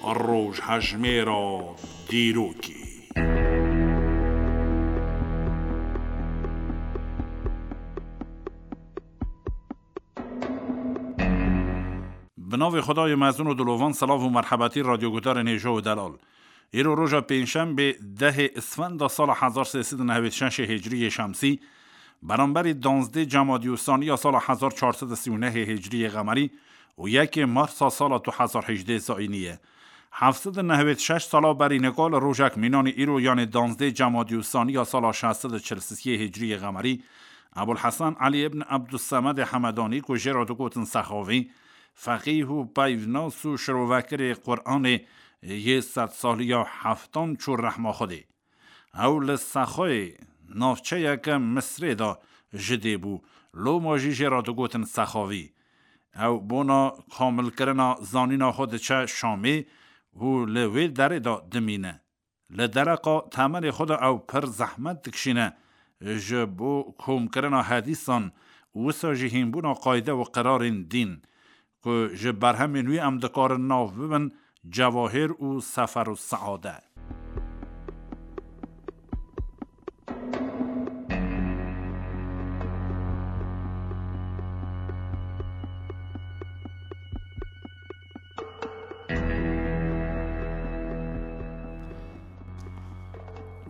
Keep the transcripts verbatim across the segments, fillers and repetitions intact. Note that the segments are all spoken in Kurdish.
Rojhejmêra dîrokê. Bi navê Xwedayê mezin û dilovan, silav û merhebetî radyoguhdarên hêja û delal. Îro roja pêncşembê dehê Isfenda sala hezar sê sed û nehwêd şeşê hicriyê şemsî, beramberî danzdê Cemadî û Saniya sala hezar çar sed û sî û nehê hicriyê qemerî û yekê Marsa sala du hezar hejdê zayînî ye. Heft sed û nehwêd şeş sala berî nika li rojek mînanî îro, yanê danzdê Cemadî û Saniya sala şeş sed û çil û sisê hicriyê qemerî, Ebul Hesen Elî ibn Ebdussemedê Hemedanî ku jê re digotin Sexavî, feqîh û peyvnas û şirovekirê Quranê yê sedsaliya heftan çû rehma Xwedê. Ew li Sexoyê, navçeyeke Misrê de ji dê bû, loma jî jê re digotin Sexavî. Ew bona komilkirina zanîna xwe diçe Şamê û li wê derê de dimîne. Li dereqa temenê xwe de ew pir zehmet dikişîne ji bo komkirina hedîsan, wisa jî hînbûna qayde û qirarên dîn, ku ji berhemên wî em dikarin nav bibin Cewahir û Seferu Seade.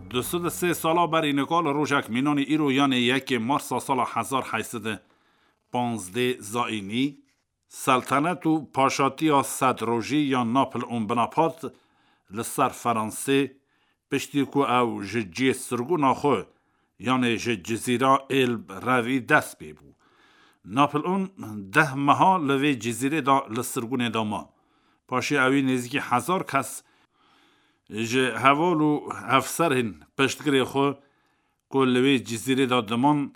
Du sed û sê sala berî nika li rojek mînanî îro, yanê yekê Marsa sala hezar heyt sed û panzdê zayînî, Seltenet û paşatiya sedrojî ya Napoleon Bonaparte li ser Fransê, piştî ku ew ji cihê sirgûna xwe, yanê ji Cizîra Elbe revî dest pê bû. Napoleon deh meha li vê cizîrê de li sirgûnê de ma. Paşê ewî nêzîkî hezar kes ji heval û hevserên piştgirê xwe ku li wê cizîrê de diman,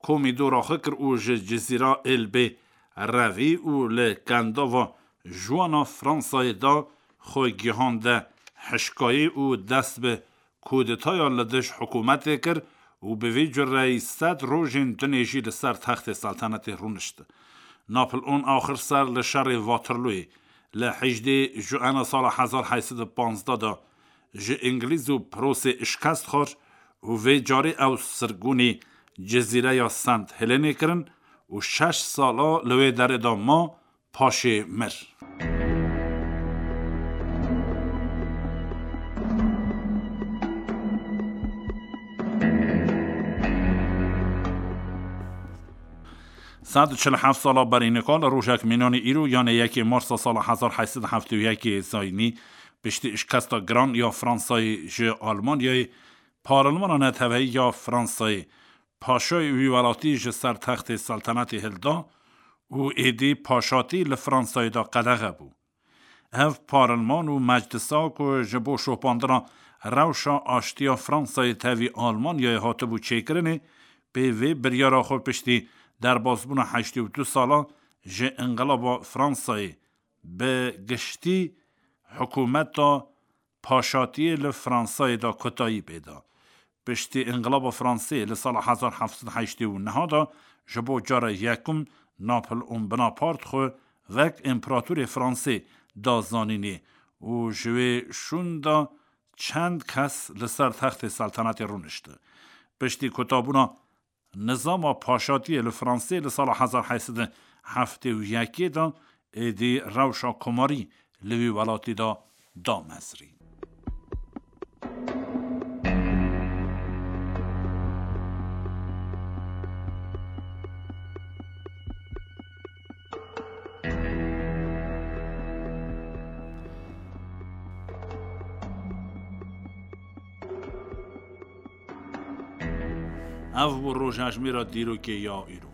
komî dora xwe kir û ji Cizîra Elbê revî û li kendava Juana Fransayê de xwe gihande hişkayê û dest bi kudetaya li dij hikûmetê kir û bi vî cureyî sed rojên dinê jî li ser textê seltenetê rûnişt. Napoleon axir ser li şerê Waterlooyê li hejdê Juana sala hezar heyt sed û panzdeh de ji Îngilîz û Pirosê şikest xwar û vê carê ew sirgûnî cizîreya Sent Helenê kirin û şeş sala li wê derê de ma, paşê mir. Sed û çil û heft sala berî nika li rojek mînanî îro, yanê yekê Marsa sala hezar heyt sed û heftê û yekê zayînî, piştî şikesta giran ya Fransayê ji Almanyayê, Parlemana Neteweyî ya Fransayê paşayê wî welatî ji ser textê seltenetê hilda û êdî paşatî li Fransayê de qedexe bû. Ev parleman û meclisa ku ji bo şopandina rewşa aştiya Fransayê tevî Almanyayê hatibû çêkirinê, pê vê biryara xwe piştî derbasbûna heştê û du sala ji Înqilaba Fransayê bi giştî hikûmeta paşatiyê li Fransayê de kutayî pê da. Piştî Înqilaba Fransê li sala hezar heft sed heştê û neh de ji bo cara yekum Napoleon Bonaparte xwe wek împeratorê Fransê da zanînê û ji wê şûn de çend kes li ser textê seltenetê rûnişti. Piştî kutabûna nizama paşatiyê li Fransê li sala hezar heyt sed û heftê û yekê de êdî rewşa komarî li wî welatî de da mezrî. Ev bû rojhejmêra dîrokê ya îro.